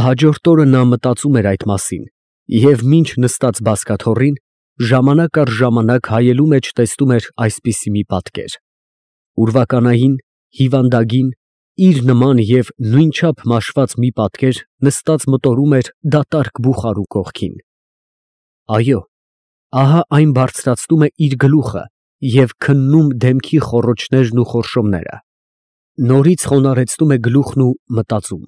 Հաջորդ օրը նա մտածում էր այդ մասին և մինչ նստած բազկաթոռին, ժամանակ առ ժամանակ հայելու մեջ տեսնում էր այսպիսի մի պատկեր. ուրվականային, հիվանդագին, իր նման և նույնչափ մաշված մի պատկեր նստած մտորում էր դատարկ բուխարու կողքին։ Այո, ահա այն բարձրացնում է իր գլուխը և քննում դեմքի խոռոչներն ու խորշոմները, նորից խոնարհեցնում է գլուխն ու մտածում.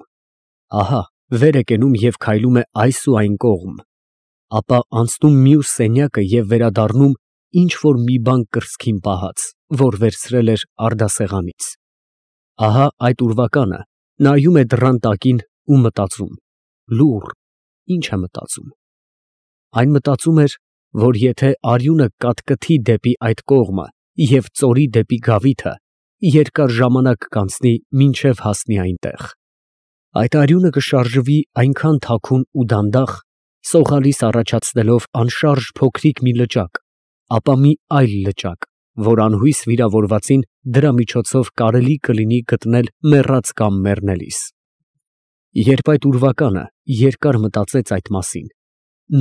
ահա վեր է կենում և քայլում է այս ու այն կողմ, ապա անցնում մյուս սենյակը և վերադառնում ինչ֊որ մի բան կրծքին պահած, որ վերցրել էր արդասեղանից։ Ահա այդ ուրվականը նայում է դռան տակին ու մտածում. լուռ, ի՞նչ է մտածում։ Այն մտածում էր, որ եթե արյունը կատկթի դեպի այդ կողմը և ծորի դեպի գավիթը, երկար ժամանակ կանցնի, մինչև հասնի այնտեղ։ Այդ արյունը կշարժվի այնքան թաքուն ու դանդաղ, սողալիս առաջացնելով անշարժ փոքրիկ մի լճակ, ապա մի այլ լճակ, որ անհույս վիրավորվածին դրա միջոցով կարելի կլինի գտնել մեռած կամ մեռնելիս։ Երբ այդ ուրվականը երկար մտածեց այդ մասին,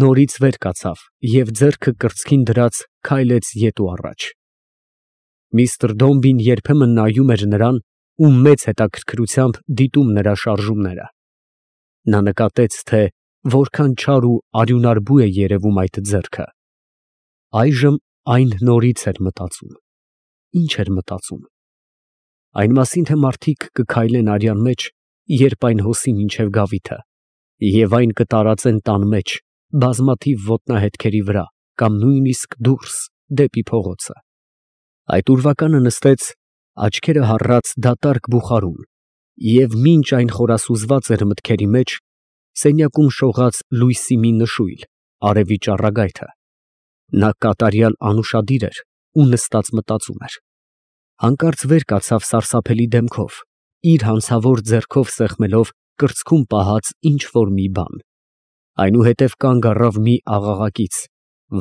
նորից վեր կացավ և ձեռքը կրծքին դրած քայլեց ետ ու առաջ։ Միսթր Դոմբին երբեմն նայում էր նրան ու մեծ հետաքրքրությամբ դիտում նրա շարժումները։ Նա նկատեց, թե որքան չար ու արյունարբու է երևում այդ ձեռքը։ Այժմ այն նորից էր մտածում։ Ի՞նչ էր մտածում։ Այն մասին, թե մարդիկ կքայլեն արյան մեջ, երբ այն հոսի մինչև գավիթը, և այն կտարածեն տան մեջ, բազմաթիվ ոտնահետքերի վրա, կամ նույնիսկ դուրս, դեպի փողոցը։ Այդ ուրվականը նստեց, աչքերը հառած դատարկ բուխարում, և մինչ այն խորասուզված էր մտքերի մեջ, սենյակում շողաց լույսի մի նշույլ, արևի ճառագայթը։ Նա կատարյալ անուշադիր էր ու նստած մտածում էր։ Հանկարծ վեր կացավ սարսափելի դեմքով, իր հանցավոր ձեռքով սեղմելով կրծքում պահած ինչ֊որ մի բան։ Այնուհետև կանգ առավ մի աղաղակից,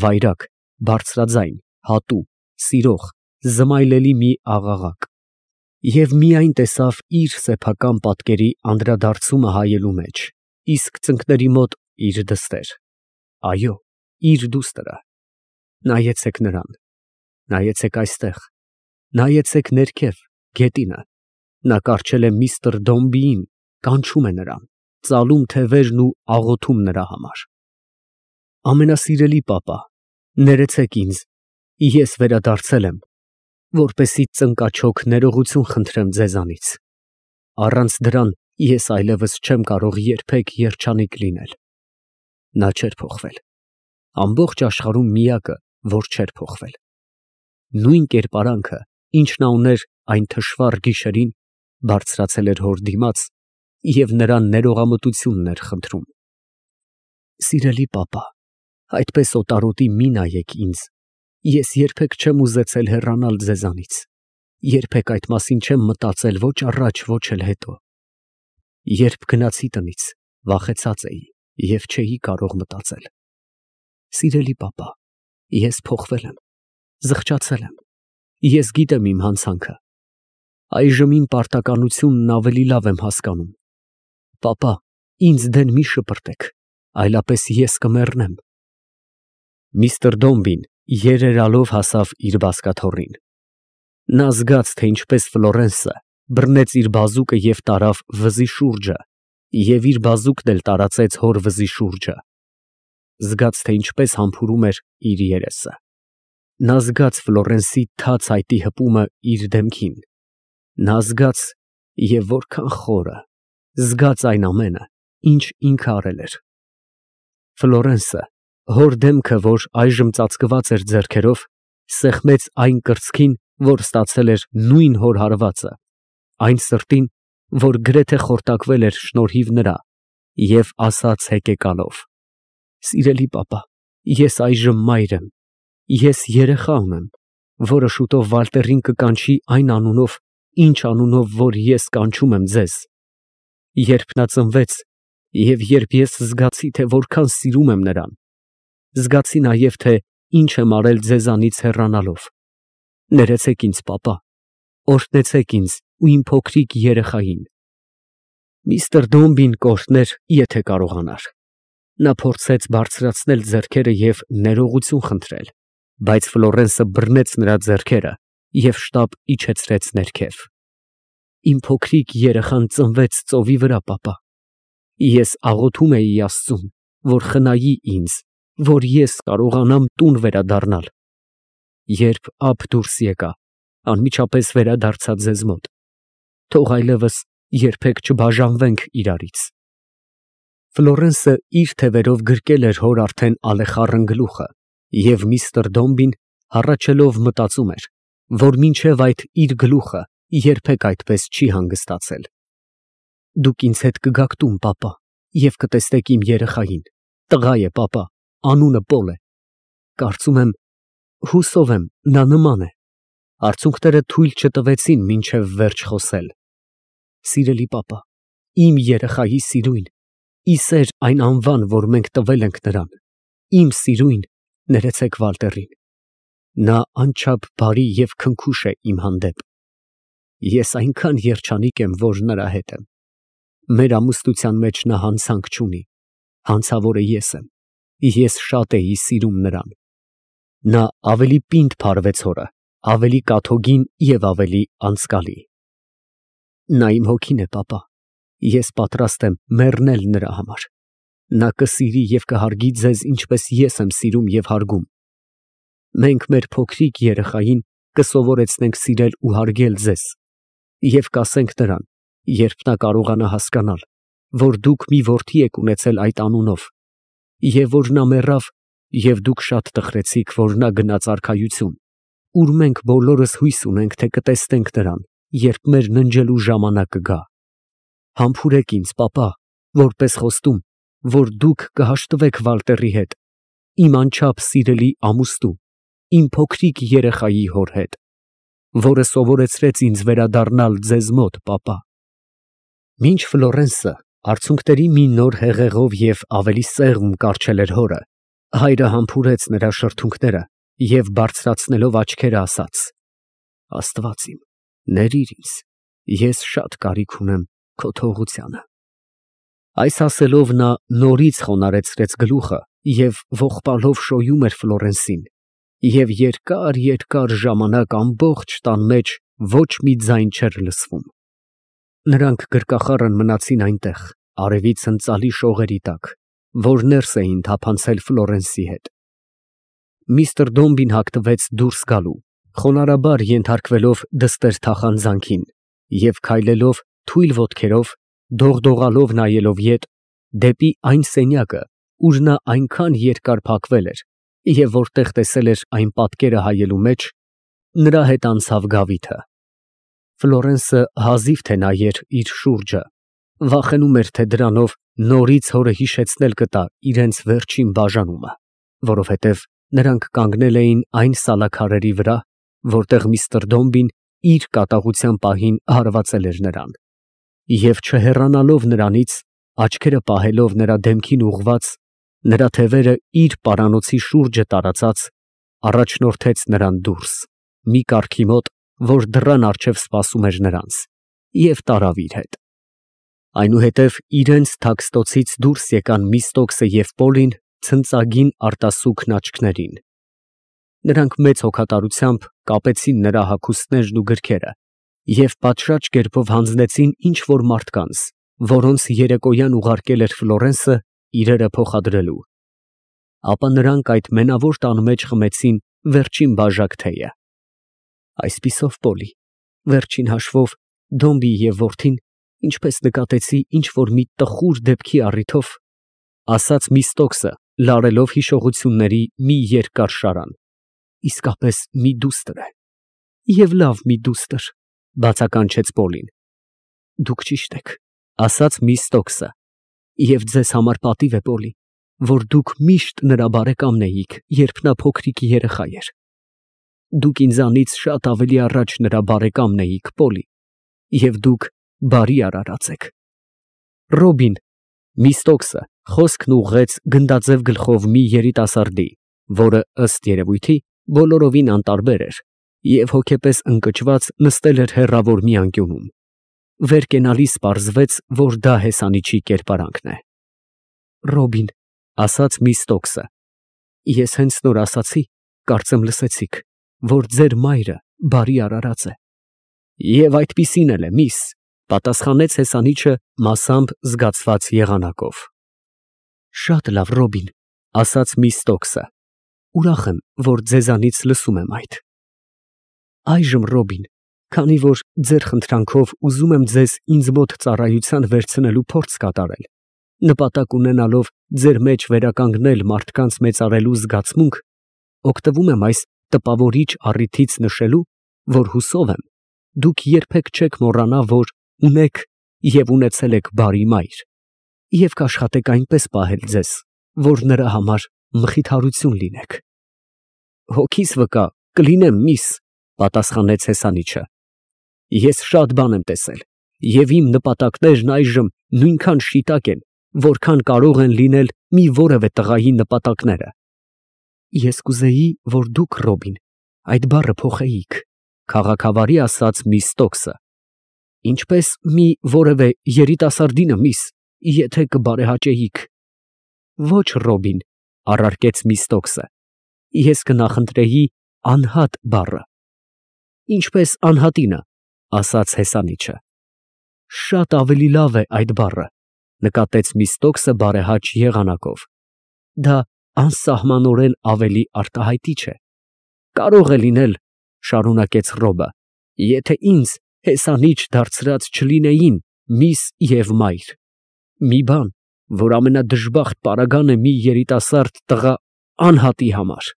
վայրագ, բարձրաձայն, հատու, սիրող, զմայլելի մի աղաղակ, և միայն տեսավ իր սեփական պատկերի անդրադարձումը հայելու մեջ, իսկ ծնկների մոտ իր դստեր, այո, իր դուստրը։ Նայեցեք նրան, նայեցեք այստեղ, նայեցեք ներքև, գետինը, նա կառչել է միսթր Դոմբիին, կանչում է նրան, ծալում թևերն ու աղոթում նրա համար։ Ամենասիրելի պապա, ներեցեք ինձ, ես վերադարձել եմ, որպեսզի ծնկաչոք ներողություն խնդրեմ ձեզանից։ Առանց դրան ես այլևս չեմ կարող երբեք երջանիկ լինել։ Նա չէր փոխվել, ամբողջ աշխարհում միակը, որ չէր փոխվել։ Նույն կերպարանքը, ինչ նա ուներ այն թշվառ գիշերին, բարձրացել էր հոր դիմաց և նրան ներողամտությունն էր խնդրում։ Սիրելի պապա, այդպես օտարոտի մի նայեք ինձ, ես երբեք չեմ ուզեցել հեռանալ ձեզանից, երբեք այդ մասին չեմ մտածել ոչ առաջ, ոչ էլ հետո։ Երբ գնացի տնից, վախեցած էի և չէի կարող մտածել։ Սիրելի պապա, ես փոխվել եմ, զղջացել եմ, ես գիտեմ իմ հանցանքը, այժմ իմ պարտականությունն ավելի լավ եմ հասկանում։ Պապա, ինձ դեն մի շպրտեք, այլապես ես կմեռնեմ։ Միսթր Դոմբին երերալով հասավ իր բազկաթոռին։ Նա զգաց, թե ինչպես Ֆլորենսը բռնեց իր բազուկը և տարավ վզի շուրջը, և իր բազուկն էլ տարածեց հոր վզի շուրջը։ Զգաց, թե ինչպես համբուրում էր իր երեսը։ Նա զգաց Ֆլորենսի թաց այտի հպումը իր դեմքին։ Նա զգաց, և որքան խորը, զգաց այն ամենը, ինչ ինքը արել էր։ Ֆլորենսը, հոր դեմքը, որ այժմ ծածկված էր ձեռքերով, սեղմեց այն կրծքին, որ ստացել էր նույն հոր հարվածը, այն սրտին, որ գրեթե խորտակվել էր շնորհիվ նրա, և ասաց հեկեկալով. «Սիրելի պապա, ես այժմ մայր եմ, ես երեխա ունեմ, որը շուտով Վալտերին կկանչի այն անունով, ինչ անունով որ ես կանչում եմ ձեզ։ Երբ նա ծնվեց և երբ ես զգացի, թե որքան սիրում եմ նրան, զգացի նաև, թե ինչ եմ արել ձեզանից հեռանալով։ Ներեցեք ինձ, պապա, օրհնեցեք ինձ ու իմ փոքրիկ երեխային»։ Միստր Դոմբին կորցներ, եթե կարողանար։ Նա փորձեց բարձրացնել ձեռքերը և ներողություն խնդրել, բայց Ֆլորենսը բռնեց նրա ձեռքերը և շտապ իջեցրեց ներքև։ Իմ փոքրիկ երեխան ծնվեց ծովի վրա, պապա։ Ես աղոթում էի Աստծուն, որ խնայի ինձ, որ ես կարողանամ տուն վերադառնալ։ Երբ ափ դուրս եկա, անմիջապես վերադարձա ձեզ մոտ։ Թող այլևս երբեք չբաժանվենք իրարից։ Ֆլորենսը իր թևերով գրկել էր հոր արդեն ալեխառն գլուխը, և միստր Դոմբին հառաչելով մտածում էր, որ մինչև այդ իր գլուխը երբեք այդպես չի հանգստացել։ Դուք ինձ հետ կգաք տուն, պապա, և կտեսնեք իմ երեխային։ Տղա է, պապա, անունը Պոլ է։ Կարծում եմ, հուսով եմ, նա նման է։ Արցունքները թույլ չտվեցին մինչև վերջ խոսել։ Սիրելի պապա, իմ երեխայի սիրուն, ի սեր այն անվան, որ մենք տվել ենք նրան, իմ սիրուն, ներեցեք Վալտերին։ Նա անչափ բարի և քնքուշ է իմ հանդեպ։ Ես այնքան երջանիկ եմ, որ նրա հետ եմ։ Մեր ամուսնության մեջ նա հանցանք չունի, հանցավորը ես եմ, ես շատ էի սիրում նրան։ Նա ավելի պինդ փարվեց հորը, ավելի կաթոգին և ավելի անցկալի։ Նա իմ հոգին է, պապա, ես պատրաստ եմ մեռնել նրա համար։ Նա կսիրի և կհարգի ձեզ, ինչպես ես եմ սիրում և հարգում։ Մենք մեր փոքրիկ երեխային կսովորեցնենք սիրել ու հարգել ձեզ և կասենք նրան, երբ նա կարողանա հասկանալ, որ դուք մի որդի եք ունեցել այդ անունով, և որ նա մեռավ, և դուք շատ տխրեցիք, որ նա գնաց արքայություն, ուր մենք բոլորս հույս ունենք, թե կտեսնենք նրան, երբ մեր ննջելու ժամանակը գա։ Համբուրեք ինձ, պապա, որպես խոստում, որ դուք կհաշտվեք Վալտերի հետ, իմ անչափ սիրելի ամուսնու, իմ փոքրիկ երեխայի հոր հետ, որը սովորեցրեց ինձ վերադառնալ ձեզ մոտ, պապա։ Մինչ Ֆլորենսը արցունքների մի նոր հեղեղով և ավելի սեղմ կառչել էր հորը, հայրը համբուրեց նրա շրթունքները և բարձրացնելով աչքերը ասաց. Աստված իմ, ներիր ինձ, ես շատ կարիք ունեմ քո թողությանը։ Այս ասելով նա նորից խոնարհեցրեց գլուխը և ողբալով շոյում էր Ֆլորենսին, և երկար ժամանակ ամբողջ տան մեջ ոչ մի ձայն չէր լսվում։ Նրանք գրկախառն մնացին այնտեղ, արևի ցնծալի շողերի տակ, որ ներս էին թափանցել Ֆլորենսի հետ։ Միստր Դոմբին հագնվեց դուրս գալու, խոնարհաբար ենթարկվելով դստեր թախանձանքին և քայլելով թույլ ոտքերով, դողդողալով նայելով ետ, դեպի այն սենյակը, ուր նա այնքան երկար փակվել էր և որտեղ տեսել էր այն պատկերը հայելու մեջ, նրա հետ անցավ Գավիթը։ Ֆլորենսը հազիվ թե նայեր իր շուրջը, վախենում էր, թե դրանով նորից հորը հիշեցնել կտա իրենց վերջին բաժանումը, որովհետև նրանք կանգնել էին այն սալաքարերի վրա, որտեղ միստր Դոմբին իր կատաղության պահին հարվածել էր նրան, և չհեռանալով նրանից, աչքերը պահելով նրա դեմքին ուղղված, նրա թևերը իր պարանոցի շուրջը տարածած, առաջնորդեց նրան դուրս, մի կառքի մոտ, որ դռան առջև սպասում էր նրանց, և տարավ իր հետ։ Այնուհետև իրենց թաքստոցից դուրս եկան Միստոկսը և Պոլին ցնծագին արտասուքն աչքներին։ Նրանք մեծ հոգատարությամբ կապեցին նրա հագուստներն ու գրքերը և պատշաճ կերպով հանձնեցին ինչ֊որ մարդկանց, որոնց երեկոյան ուղարկել էր Ֆլորենսը իրերը փոխադրելու։ Ապա նրանք այդ մենավոր տան մեջ խմեցին վերջին բաժակ թեյը։ Այսպիսով, Պոլի, վերջին հաշվով Դոմբի և որդին, ինչպես նկատեցի, ինչ֊որ մի տխուր դեպքի առիթով, ասաց Միստոկսը, լարելով հիշողությունների մի երկար շարան, իսկապես մի դուստր է։ Եվ լավ մի դուստր, բացականչեց Պոլին։ Դուք ճիշտ եք, ասաց Միստոկսը, և ձեզ համար պատիվ է, Պոլի, որ դուք միշտ նրա բարեկամն էիք, երբ նա փոքրիկ երեխա էր։ Դուք ինձանից շատ ավելի առաջ նրա բարեկամն էիք, Պոլի, և դուք բարի արարած եք։ Ռոբին, Միստոկսը խոսքն ուղղեց գնդաձև գլխով մի երիտասարդի, որը, ըստ երևույթի, բոլորովին անտարբեր էր և հոգեպես ընկճված նստել էր հեռավոր մի անկյունում։ վեր կենալիս պարզվեց, որ դա հեսանիչի կերպարանքն է։ Ռոբին, ասաց միս Ստոքսը, ես հենց նոր ասացի, կարծեմ լսեցիք, որ ձեր մայրը բարի արարած է։ Եվ այդպիսին էլ է, միս, պատասխանեց հեսանիչը մասամբ զգացված եղանակով։ Շատ լավ, Ռոբին, ասաց միս Ստոքսը, ուրախ եմ, որ ձեզանից լսում եմ այդ։ Այժմ, Ռոբին, քանի որ ձեր խնդրանքով ուզում եմ ձեզ ինձ մոտ ծառայության վերցնելու փորձ կատարել, նպատակ ունենալով ձեր մեջ վերականգնել մարդկանց մեծարելու զգացմունք, օգտվում եմ այս տպավորիչ առիթից նշելու, որ հուսով եմ, դուք երբեք չեք մոռանա, որ ունեք և ունեցել եք բարի մայր, և կաշխատեք այնպես պահել ձեզ, որ նրա համար մխիթարություն լինեք։ Հոգիս վկա կլինեմ, միս, պատասխանեց հեսանիչը։ Ես շատ բան եմ տեսել, և իմ նպատակներն այժմ նույնքան շիտակ են, որքան կարող են լինել մի որևէ տղայի նպատակները։ Ես կուզեի, որ դուք, Ռոբին, այդ բառը փոխեիք, քաղաքավարի ասաց միս Ստոքսը։ Ինչպես մի որևէ երիտասարդինը, միս, եթե կբարեհաճեիք։ Ոչ, Ռոբին, առարկեց միս Ստոքսը, ես կնախընտրեի անհատ բառը։ Ինչպես անհատինը, ասաց հեսանիչը։ Շատ ավելի լավ է այդ բառը, նկատեց միս Ստոքսը բարեհաճ եղանակով։ Դա անսահմանորեն ավելի արտահայտիչ է։ Կարող է լինել, շարունակեց Ռոբը, եթե ինձ հեսանիչ դարձրած չլինեին միս և մայր։ Մի բան, որ ամենադժբախտ պարագան է մի երիտասարդ տղա անհատի համար։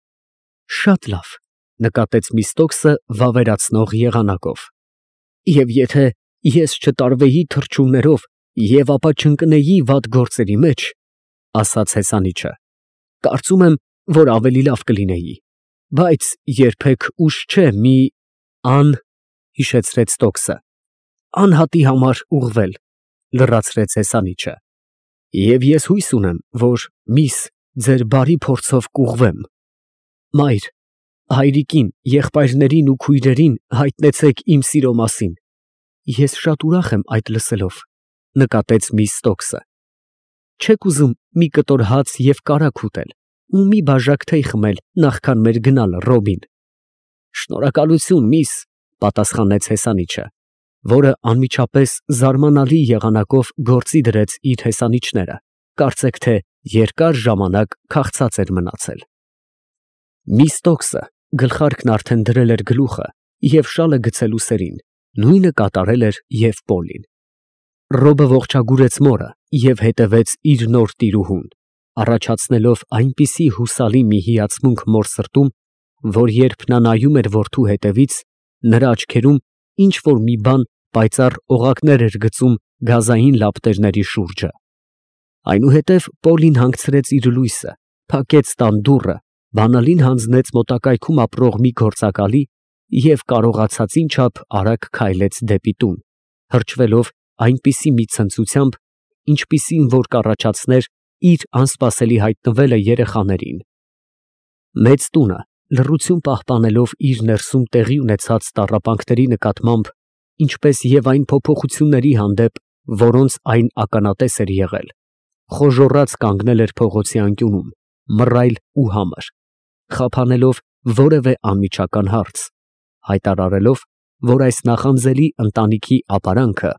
Շատ լավ, նկատեց միս Ստոքսը վավերացնող եղանակով։ Եվ եթե ես չտարվեի թռչուններով և ապա չընկնեի վատ գործերի մեջ, ասաց հեսանիչը, կարծում եմ, որ ավելի լավ կլինեի, բայց երբեք ուշ չէ մի հիշեցրեց Ստոքսը, անհատի համար ուղղվել, լրացրեց հեսանիչը, և ես հույս ունեմ, որ միս ձեր բարի փորձով կուղղվեմ։ Մայր, հայրիկին, եղբայրներին ու քույրերին հայտնեցեք իմ սիրո մասին։ Ես շատ ուրախ եմ այդ լսելով, նկատեց միս Ստոքսը։ Չեք ուզում մի կտոր հաց և կարագ ուտել ու մի բաժակ թեյ խմել նախքան մեր գնալը, Ռոբին։ Շնորհակալություն, միս, պատասխանեց հեսանիչը, որը անմիջապես զարմանալի եղանակով գործի դրեց իր հեսանիչները, կարծեք թե երկար ժամանակ քաղցած էր մնացել։ Միս Ստոքսը գլխարկն արդեն դրել էր գլուխը և շալը գցելու սերին, նույնը կատարել էր և Պոլին։ Ռոբը ողջագուրեց մորը և հետևեց իր նոր տիրուհուն, առաջացնելով այնպիսի հուսալի մի հիացմունք մոր սրտում, որ երբ նա նայում էր որդու հետևից, նրա աչքերում ինչ որ մի բան պայծառ օղակներ էր գծում գազային լապտերների շուրջը։ Այնուհետև Պոլին հանգցրեց իր լույսը, փակեց տան դուռը, բանալին հանձնեց մոտակայքում ապրող մի գործակալի և կարողացածին չափ արագ քայլեց դեպի տուն, հրճվելով այնպիսի մի ցնծությամբ, ինչպիսին որ կառաջացներ իր անսպասելի հայտնվելը երեխաներին։ Մեծ տունը, լռություն պահպանելով իր ներսում տեղի ունեցած տառապանքների նկատմամբ, ինչպես և այն փոփոխությունների հանդեպ, որոնց այն ականատես էր եղել, խոժոռած կանգնել էր փողոցի անկյունում, մռայլ ու համր, խափանելով որևէ անմիջական հարց, հայտարարելով, որ այս նախանձելի ընտանիքի ապարանքը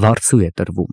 վարձու է տրվում։